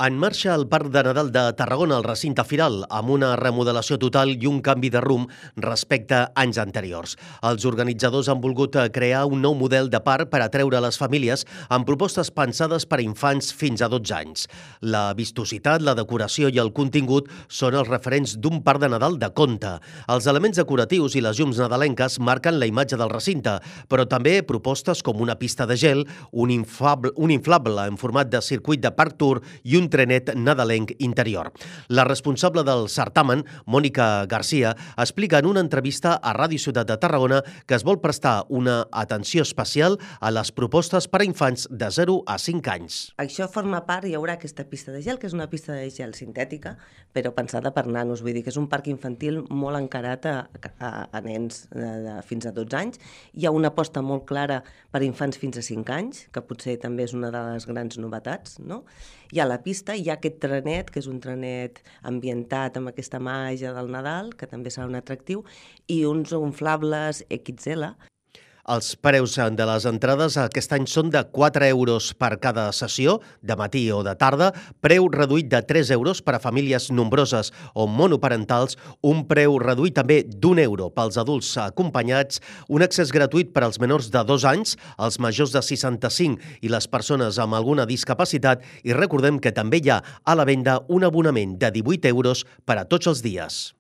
En marxa el Parc de Nadal de Tarragona, al recinte firal, amb una remodelació total i un canvi de rumb respecte a anys anteriors. Els organitzadors han volgut crear un nou model de parc per atreure les famílies amb propostes pensades per a infants fins a 12 anys. La vistositat, la decoració i el contingut són els referents d'un parc de Nadal de conte. Els elements decoratius i les llums nadalenques marquen la imatge del recinte, però també propostes com una pista de gel, un inflable en format de circuit de Parc Tour i un trenet nadalenc interior. La responsable del certamen, Mònica Garcia, explica en una entrevista a Ràdio Ciutat de Tarragona que es vol prestar una atenció especial a les propostes per a infants de 0 a 5 anys. Això forma part, hi haurà aquesta pista de gel, que és una pista de gel sintètica, però pensada per nanos, vull dir que és un parc infantil molt encarat a nens fins a 12 anys. Hi ha una aposta molt clara per infants fins a 5 anys, que potser també és una de les grans novetats, no? Hi ha la pista, hi ha aquest trenet, que és un trenet ambientat amb aquesta màgia del Nadal, que també serà un atractiu, i uns inflables XL. Els preus de les entrades aquest any són de 4 euros per cada sessió, de matí o de tarda, preu reduït de 3 euros per a famílies nombroses o monoparentals, un preu reduït també d'1 euro pels adults acompanyats, un accés gratuït per als menors de 2 anys, els majors de 65 i les persones amb alguna discapacitat, i recordem que també hi ha a la venda un abonament de 18 euros per a tots els dies.